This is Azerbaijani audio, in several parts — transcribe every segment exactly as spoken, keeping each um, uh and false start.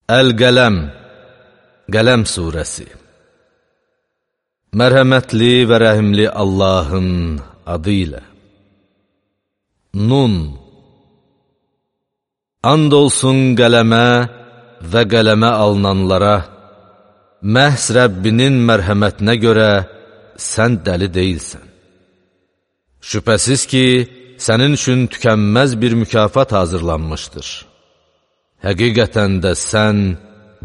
Əl-Qələm, Qələm surəsi. Mərhəmətli və rəhimli Allahın adı ilə. Nun. And olsun qələmə və qələmə alınanlara, məhz Rəbbinin mərhəmətinə görə sən dəli deyilsən. Şübhəsiz ki, sənin üçün tükənməz bir mükafat hazırlanmışdır. Həqiqətən də sən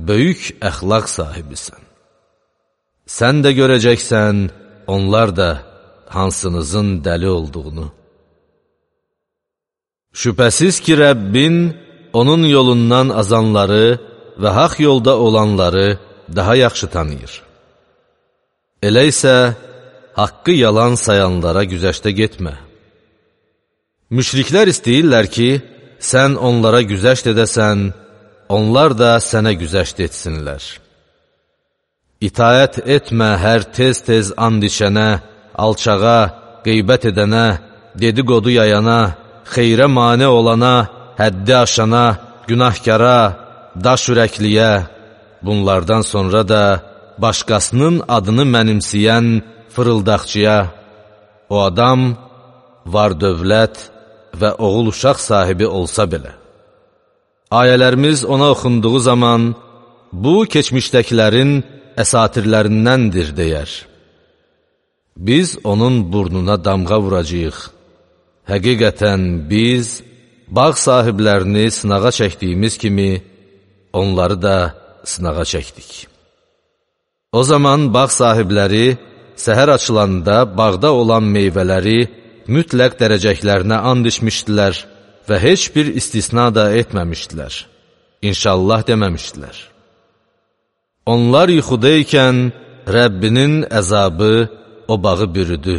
böyük əxlaq sahibisən. Sən də görəcəksən, onlar da hansınızın dəli olduğunu. Şübhəsiz ki, Rəbbin onun yolundan azanları və haqq yolda olanları daha yaxşı tanıyır. Elə isə haqqı yalan sayanlara güzəştə getmə. Müşriklər istəyirlər ki, sən onlara güzəşt edəsən, onlar da sənə güzəşt etsinlər. İtaət etmə hər tez-tez and içənə, alçağa, qeybət edənə, dedikodu yayana, xeyrə mane olana, həddi aşana, günahkara, daş ürəkliyə, bunlardan sonra da başqasının adını mənimsəyən fırıldaqçıya, o adam var dövlət və oğul uşaq sahibi olsa belə. Ayələrimiz ona oxunduğu zaman, bu keçmişdəkilərin əsatirlərindəndir deyər. Biz onun burnuna damğa vuracağıq. Həqiqətən biz bağ sahiblərini sınağa çəkdiyimiz kimi, onları da sınağa çəkdik. O zaman bağ sahibləri səhər açılanda bağda olan meyvələri mütləq dərəcəklərinə and içmişdilər və heç bir istisna da etməmişdilər. İnşallah deməmişdilər. Onlar yuxudaykən Rəbbinin əzabı o bağı bürüdü.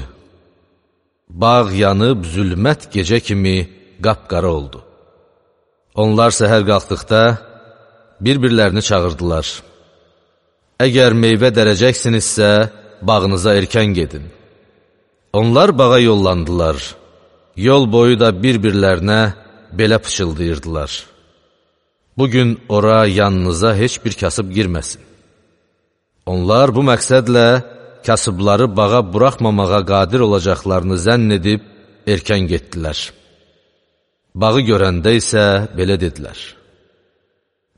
Bağ yanıb zülmət gecə kimi qapqara oldu. Onlar səhər qalxdıqda bir-birlərini çağırdılar. Əgər meyvə dərəcəksinizsə, bağınıza erkən gedin. Onlar bağa yollandılar. Yol boyu da bir-birlərinə belə pıçıldayırdılar. Bugün ora yanınıza heç bir kasıb girməsin. Onlar bu məqsədlə kasıbları bağa buraxmamağa qadir olacaqlarını zənn edib erkən getdilər. Bağı görəndə isə belə dedilər.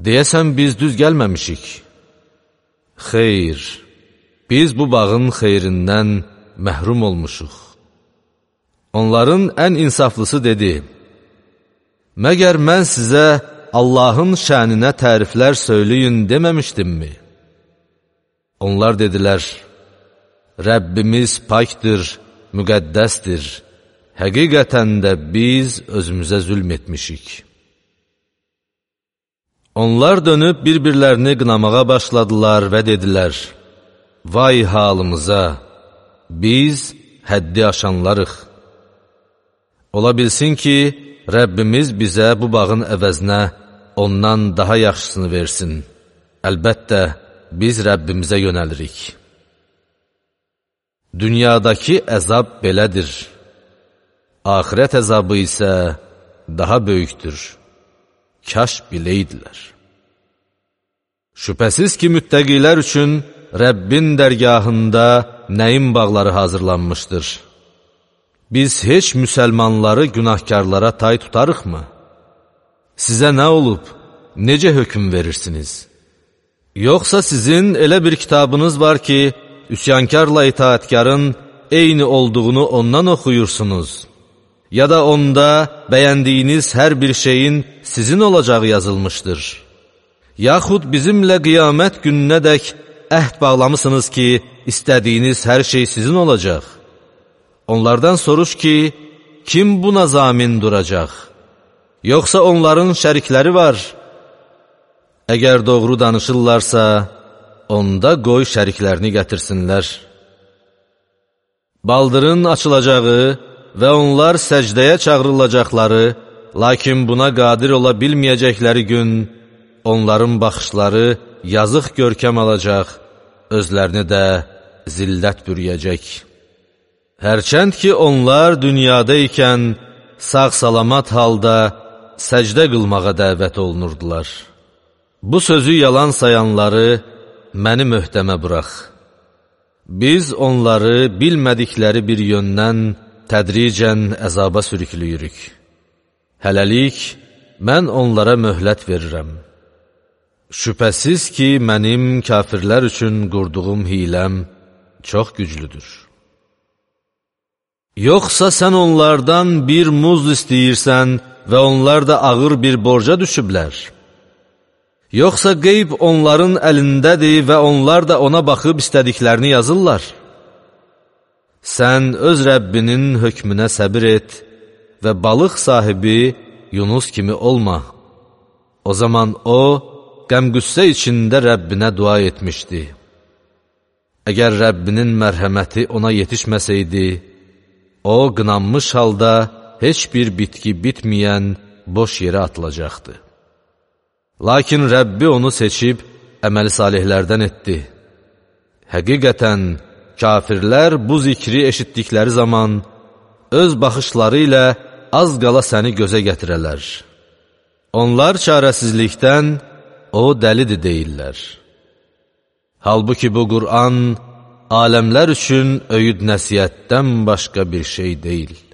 Deyəsən biz düz gəlməmişik. Xeyr, biz bu bağın xeyrindən məhrum olmuşuq. Onların ən insaflısı dedi, məgər mən sizə Allahın şəninə təriflər söyləyin deməmişdimmi? Onlar dedilər, Rəbbimiz pakdır, müqəddəsdir, həqiqətən də biz özümüzə zülm etmişik. Onlar dönüb bir-birlərini qınamağa başladılar və dedilər, vay halımıza, biz həddi aşanlarıq. Ola bilsin ki, Rəbbimiz bizə bu bağın əvəzinə ondan daha yaxşısını versin. Əlbəttə, biz Rəbbimizə yönəlirik. Dünyadakı əzab belədir. Axirət əzabı isə daha böyükdür. Kaş biləydilər. Şübhəsiz ki, müttəqilər üçün Rəbbin dərgahında nəyin bağları hazırlanmışdır? Biz heç müsəlmanları günahkarlara tay tutarıqmı? Sizə nə olub? Necə hökm verirsiniz? Yoxsa sizin elə bir kitabınız var ki, üsyankarla itaətkarın eyni olduğunu ondan oxuyursunuz? Ya da onda bəyəndiyiniz hər bir şeyin sizin olacağı yazılmışdır? Yaxud bizimlə qiyamət gününədək əhd bağlamısınız ki, istədiyiniz hər şey sizin olacaq? Onlardan soruş ki, kim buna zamin duracaq? Yoxsa onların şərikləri var? Əgər doğru danışırlarsa, onda qoy şəriklərini gətirsinlər. Baldırın açılacağı və onlar səcdəyə çağırılacaqları, lakin buna qadir ola bilməyəcəkləri gün, onların baxışları yazıq görkəm alacaq, özlərini də zillət bürüyəcək. Hərçənd ki, onlar dünyada ikən sağ-salamat halda səcdə qılmağa dəvət olunurdular. Bu sözü yalan sayanları məni möhtəmə burax. Biz onları bilmədikləri bir yöndən tədricən əzaba sürüklüyürük. Hələlik, mən onlara möhlət verirəm. Şübhəsiz ki, mənim kafirlər üçün qurduğum hiləm çox güclüdür. Yoxsa sən onlardan bir muz istəyirsən və onlar da ağır bir borca düşüblər? Yoxsa qeyb onların əlindədir və onlar da ona baxıb istədiklərini yazırlar? Sən öz Rəbbinin hökmünə səbir et və balıq sahibi Yunus kimi olma. O zaman o, qəm-qüssə içində Rəbbinə dua etmişdi. Əgər Rəbbinin mərhəməti ona yetişməsəydi, o, qınanmış halda heç bir bitki bitməyən boş yerə atılacaqdı. Lakin Rəbbi onu seçib, əməli salihlərdən etdi. Həqiqətən, kafirlər bu zikri eşitdikləri zaman, öz baxışları ilə az qala səni gözə gətirələr. Onlar çarəsizlikdən, o dəlidir deyirlər. Halbuki bu Qur'an, aləmlər üçün öyüd nəsiyyətdən başqa bir şey deyil.